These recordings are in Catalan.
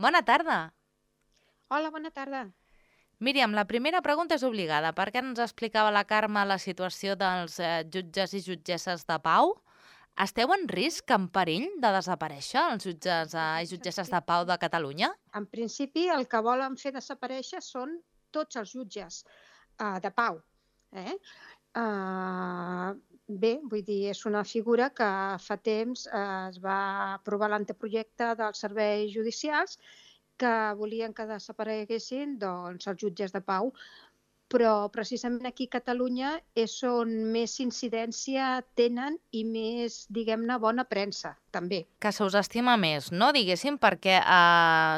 Bona tarda. Hola, bona tarda. Míriam, la primera pregunta és obligada. Per què ens explicava la Carme la situació dels jutges i jutgesses de pau? Esteu en risc, en perill de desaparèixer, els jutges i jutgesses de pau de Catalunya? En principi, el que volen fer desaparèixer són tots els jutges de pau. Bé, vull dir, és una figura que fa temps es va aprovar l'anteprojecte dels serveis judicials que volien que desapareguessin els jutges de pau, però precisament aquí a Catalunya és on més incidència tenen i més, diguem-ne, bona premsa, també. Que se us estima més, no? Diguéssim, perquè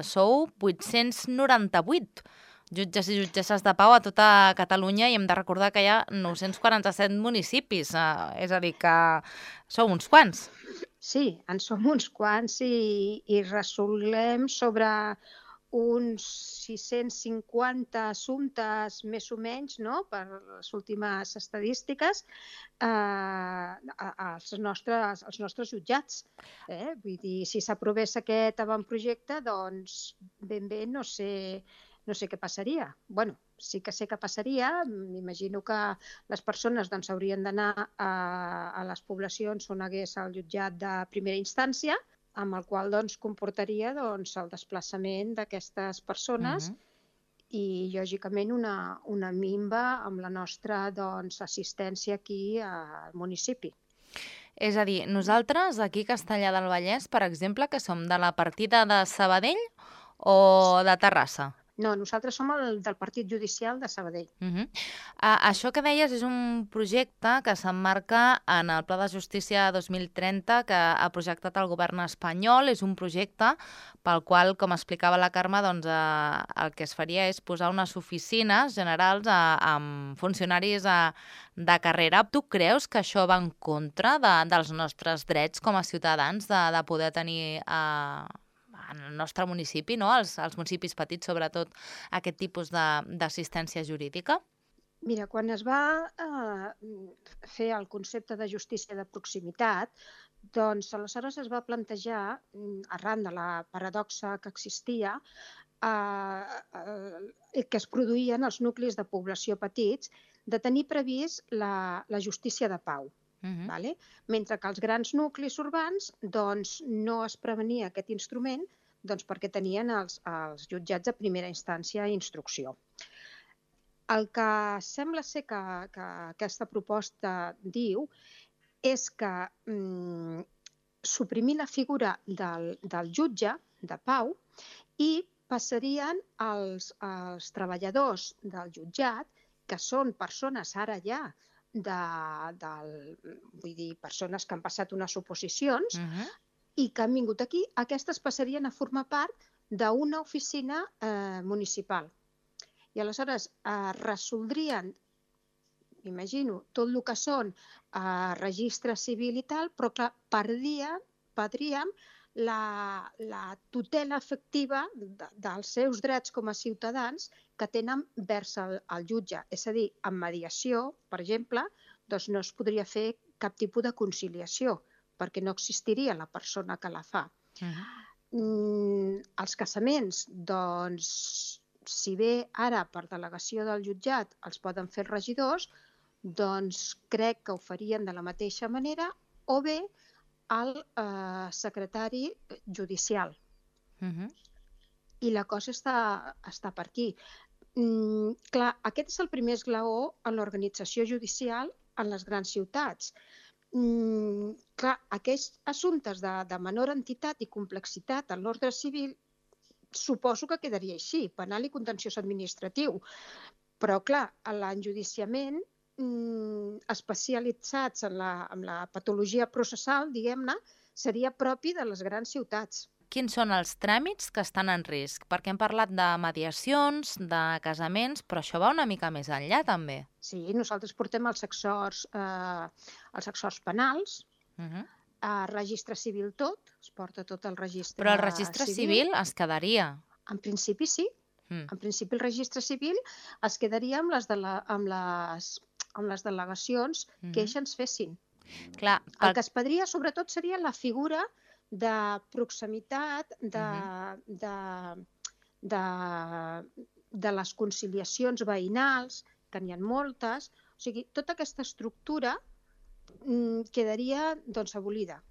sou 898 jutges i jutgesses de pau a tota Catalunya i hem de recordar que hi ha 947 municipis, és a dir, que sou uns quants. Sí, en som uns quants i resolem sobre uns 650 assumptes més o menys, no?, per les últimes estadístiques, als nostres jutjats. Vull dir, si s'aprovés aquest avantprojecte, doncs ben bé no sé què passaria. Bueno, sí que sé què passaria. M'imagino que les persones doncs, haurien d'anar a les poblacions on hagués el jutjat de primera instància, amb el qual doncs, comportaria doncs, el desplaçament d'aquestes persones i, lògicament, una minva amb la nostra doncs, assistència aquí al municipi. És a dir, nosaltres aquí a Castellar del Vallès, per exemple, que som de la partida de Sabadell o de Terrassa? No, nosaltres som el del Partit Judicial de Sabadell. Això que deies és un projecte que s'emmarca en el Pla de Justícia 2030 que ha projectat el govern espanyol. És un projecte pel qual, com explicava la Carme, doncs, el que es faria és posar unes oficines generals amb funcionaris de carrera. Tu creus que això va en contra dels nostres drets com a ciutadans de poder tenir en el nostre municipi, no? Els municipis petits, sobretot, aquest tipus d'assistència jurídica? Mira, quan es va fer el concepte de justícia de proximitat, doncs aleshores es va plantejar, arran de la paradoxa que existia, que es produïen els nuclis de població petits, de tenir previst la justícia de pau. Vale? Mentre que els grans nuclis urbans doncs, no es prevenia aquest instrument doncs, perquè tenien els jutjats de primera instància i instrucció. El que sembla ser que aquesta proposta diu és que suprimir la figura del jutge de pau i passarien als treballadors del jutjat, que són persones ara ja vull dir, persones que han passat unes oposicions i que han vingut aquí, aquestes passarien a formar part d'una oficina municipal. I aleshores resoldrien, imagino, tot el que són registre civil i tal, però clar, perdríem la tutela efectiva dels seus drets com a ciutadans que tenen vers el jutge. És a dir, en mediació, per exemple, doncs no es podria fer cap tipus de conciliació, perquè no existiria la persona que la fa. Els casaments, doncs, si bé ara per delegació del jutjat els poden fer els regidors, doncs crec que ho farien de la mateixa manera o bé el secretari judicial. I la cosa està per aquí. Clar, aquest és el primer esglaó en l'organització judicial en les grans ciutats. Clar, aquests assumptes de menor entitat i complexitat en l'ordre civil suposo que quedaria així, penal i contenciós administratiu. Però, clar, l'enjudiciament especialitzats en la patologia processal, diguem-ne, seria propi de les grans ciutats. Quins són els tràmits que estan en risc? Perquè hem parlat de mediacions, de casaments, però això va una mica més enllà, també. Sí, nosaltres portem els exhorts penals, registre civil tot, es porta tot el registre civil. Però el registre civil es quedaria. En principi sí. En principi el registre civil es quedaria amb les delegacions que ells ens fessin. Clar, el que es perdria sobretot seria la figura de proximitat, de les conciliacions veïnals, que n'hi ha moltes. O sigui, tota aquesta estructura quedaria abolida.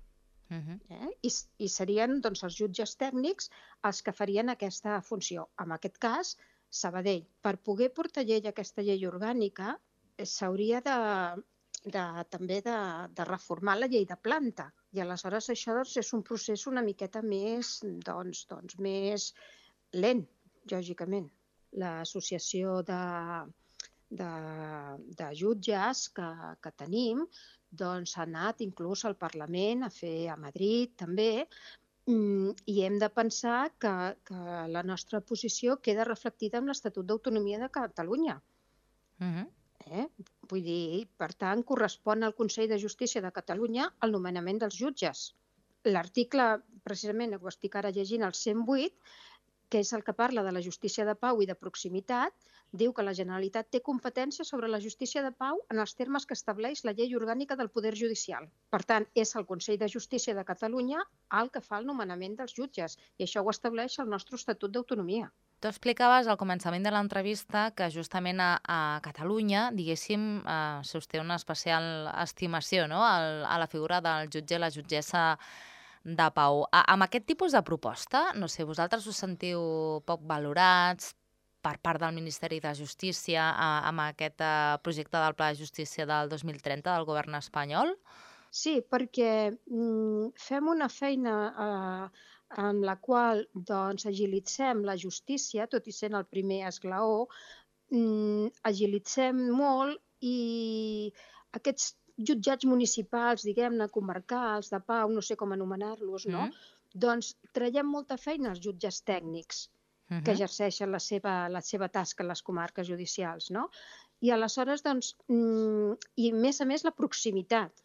I serien els jutges tècnics els que farien aquesta funció. En aquest cas, Sabadell. Per poder portar aquesta llei orgànica s'hauria també de reformar la llei de planta. I aleshores això és un procés una miqueta més, més lent, lògicament. L'associació de jutges que tenim ha anat inclús al Parlament, a Madrid també, i hem de pensar que la nostra posició queda reflectida en l'Estatut d'Autonomia de Catalunya. Vull dir, per tant, correspon al Consell de Justícia de Catalunya el nomenament dels jutges. L'article, precisament, ho estic ara llegint, el 108, que és el que parla de la justícia de pau i de proximitat, diu que la Generalitat té competència sobre la justícia de pau en els termes que estableix la llei orgànica del Poder Judicial. Per tant, és el Consell de Justícia de Catalunya el que fa el nomenament dels jutges, i això ho estableix el nostre Estatut d'Autonomia. Tu explicaves al començament de l'entrevista que justament a Catalunya, diguéssim, s'usté una especial estimació, no?, a la figura del jutge i la jutgessa de pau. Amb aquest tipus de proposta, no sé, vosaltres us sentiu poc valorats per part del Ministeri de Justícia amb aquest projecte del Pla de Justícia del 2030 del govern espanyol? Sí, perquè fem una feina en la qual agilitzem la justícia, tot i sent el primer esglaó, agilitzem molt i aquests jutjats municipals, diguem-ne, comarcals, de pau, no sé com anomenar-los, no? Doncs traiem molta feina als jutges tècnics que exerceixen la seva tasca a les comarques judicials, no? I aleshores, i a més la proximitat.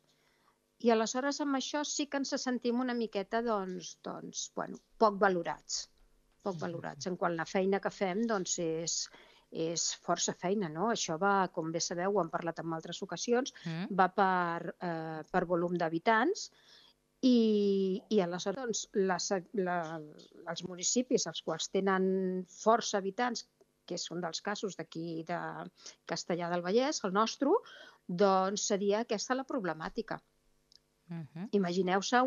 I aleshores amb això sí que ens sentim una miqueta, poc valorats. Poc valorats. En quant a la feina que fem, és força feina, no? Això va, com bé sabeu, ho hem parlat en altres ocasions, va per volum d'habitants i aleshores els municipis, els quals tenen força habitants, que és un dels casos d'aquí de Castellar del Vallès, el nostre, doncs seria aquesta la problemàtica. Imagineu-se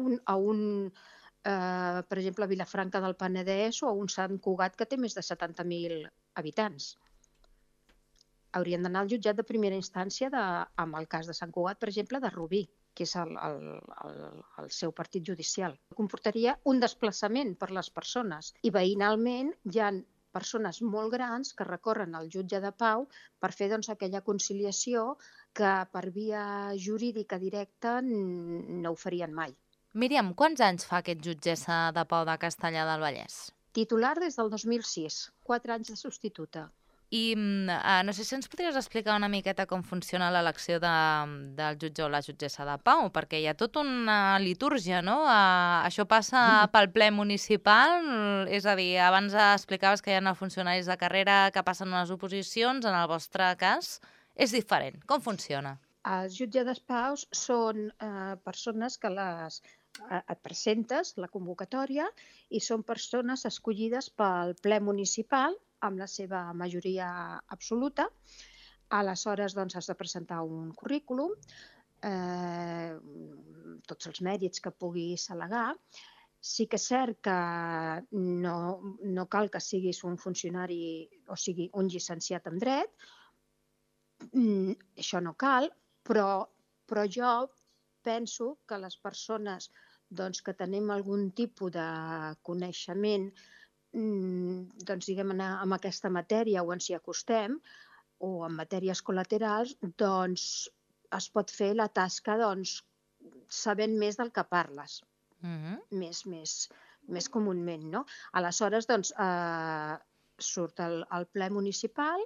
per exemple, a Vilafranca del Penedès o a un Sant Cugat que té més de 70.000 habitants. Haurien d'anar al jutjat de primera instància, en el cas de Sant Cugat, per exemple, de Rubí, que és el seu partit judicial. Comportaria un desplaçament per les persones i veïnalment hi ha persones molt grans que recorren al jutge de pau per fer aquella conciliació que per via jurídica directa no ho farien mai. Míriam, quants anys fa aquest jutgessa de pau de Castellar del Vallès? Titular des del 2006, 4 anys de substituta. I no sé si ens podries explicar una miqueta com funciona l'elecció del jutge o la jutgessa de pau, perquè hi ha tota una litúrgia, no? Això passa pel ple municipal, és a dir, abans explicaves que hi ha funcionaris de carrera que passen unes oposicions, en el vostre cas és diferent. Com funciona? Els jutges de pau són persones que et presentes la convocatòria i són persones escollides pel ple municipal amb la seva majoria absoluta. Aleshores, has de presentar un currículum, tots els mèrits que puguis al·legar. Sí que és cert que no cal que siguis un funcionari, o sigui, un llicenciat en dret, això no cal, però jo penso que les persones que tenim algun tipus de coneixement diguem-ne, en aquesta matèria o ens hi acostem, o en matèries col·laterals, es pot fer la tasca sabent més del que parles, més comúment, no? Aleshores, surt al ple municipal,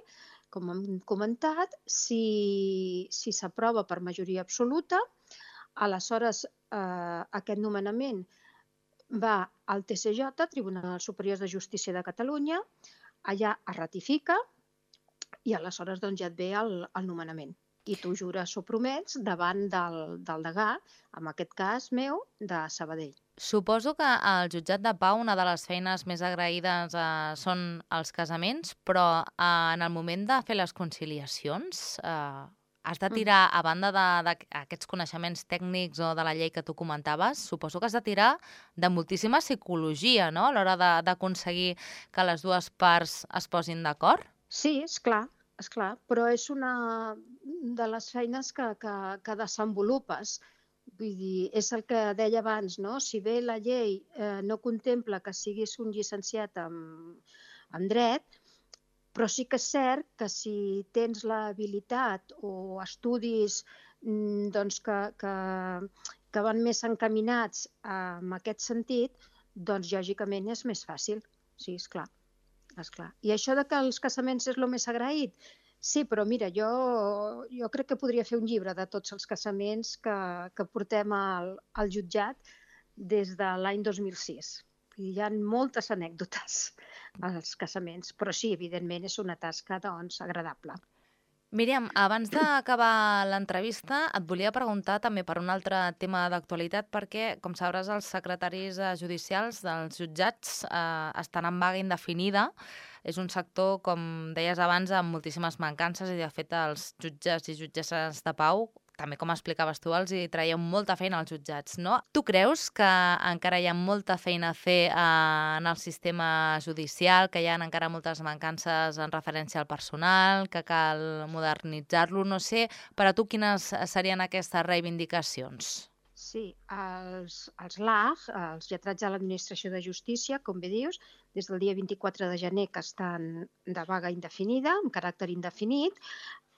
com hem comentat, si s'aprova per majoria absoluta, aleshores aquest nomenament va al TSJ, Tribunal Superior de Justícia de Catalunya, allà es ratifica i aleshores ja et ve el nomenament. I tu jures o promets davant del degà, en aquest cas meu, de Sabadell. Suposo que al jutjat de pau una de les feines més agraïdes són els casaments, però en el moment de fer les conciliacions has de tirar, a banda d'aquests coneixements tècnics o de la llei que tu comentaves, suposo que has de tirar de moltíssima psicologia, no?, a l'hora d'aconseguir que les dues parts es posin d'acord? Sí, és clar, però és una de les feines que desenvolupes. Vull dir, és el que deia abans, no? Si bé la llei no contempla que siguis un llicenciat en dret, però sí que és cert que si tens l'habilitat o estudis doncs que van més encaminats en aquest sentit, doncs lògicament és més fàcil. Sí, és clar. I això de que els casaments és el més agraït, sí, però mira, jo crec que podria fer un llibre de tots els casaments que portem al jutjat des de l'any 2006. Hi ha moltes anècdotes als casaments, però sí, evidentment, és una tasca doncs, agradable. Míriam, abans d'acabar l'entrevista et volia preguntar també per un altre tema d'actualitat perquè, com sabràs, els secretaris judicials dels jutjats estan en vaga indefinida. És un sector, com deies abans, amb moltíssimes mancances i, de fet, els jutges i jutgesses de pau, també com explicaves tu, els hi traiem molta feina als jutjats, no? Tu creus que encara hi ha molta feina a fer en el sistema judicial, que hi ha encara moltes mancances en referència al personal, que cal modernitzar-lo? No sé, per a tu quines serien aquestes reivindicacions? Sí, els LAG, els lletrats de l'Administració de Justícia, com bé dius, des del dia 24 de gener que estan de vaga indefinida, amb caràcter indefinit.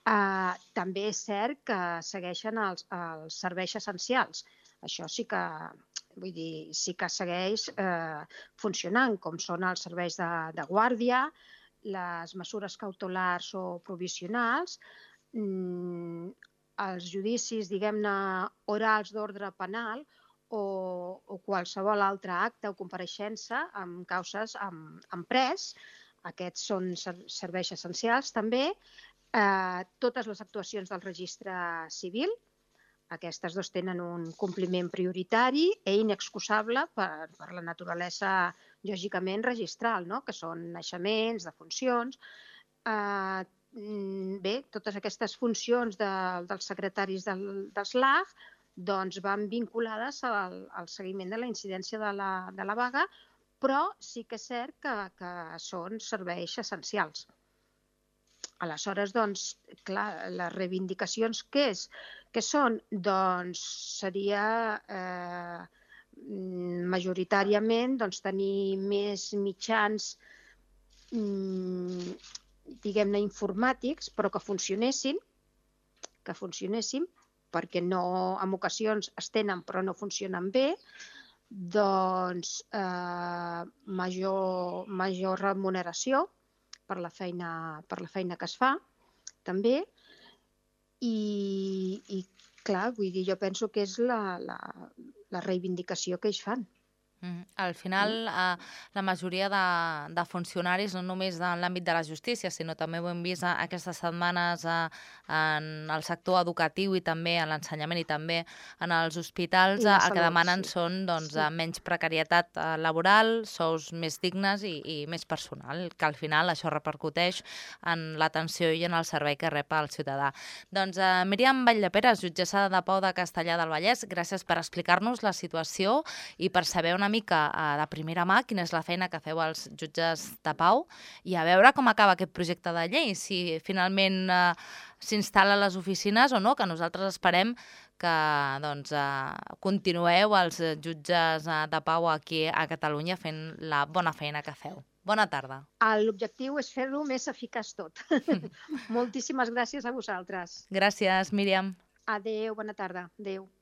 També és cert que segueixen els serveis essencials. Això sí que, vull dir, sí que segueix funcionant, com són els serveis de guàrdia, les mesures cautelars o provisionals, els judicis, diguem-ne, orals d'ordre penal o qualsevol altre acte o compareixença amb causes amb pres. Aquests són serveis essencials també. Totes les actuacions del registre civil, aquestes dos tenen un compliment prioritari i inexcusable per la naturalesa, lògicament, registral, no? Que són naixements, defuncions. Bé, totes aquestes funcions dels secretaris dels LAG doncs, van vinculades al seguiment de la incidència de la vaga, però sí que és cert que són serveis essencials. Aleshores, doncs, clar, les reivindicacions què són? Doncs seria majoritàriament tenir més mitjans, diguem-ne, informàtics, però que funcionessin, perquè no, en ocasions es tenen però no funcionen bé, doncs major remuneració per la feina que es fa, també, i clar, vull dir, jo penso que és la reivindicació que ells fan. Al final, la majoria de funcionaris, no només en l'àmbit de la justícia, sinó també ho hem vist aquestes setmanes en el sector educatiu i també en l'ensenyament i també en els hospitals, el que demanen són menys precarietat laboral, sous més dignes i més personal, que al final això repercuteix en l'atenció i en el servei que rep el ciutadà. Doncs Míriam Valldeperes, jutgessa de pau de Castellar del Vallès, gràcies per explicar-nos la situació i per saber una mica de primera mà quina és la feina que feu els jutges de pau i a veure com acaba aquest projecte de llei, si finalment s'instal·la a les oficines o no, que nosaltres esperem que continueu els jutges de pau aquí a Catalunya fent la bona feina que feu. Bona tarda. L'objectiu és fer-ho més eficaç tot. Moltíssimes gràcies a vosaltres. Gràcies, Míriam. Adéu, bona tarda. Adéu.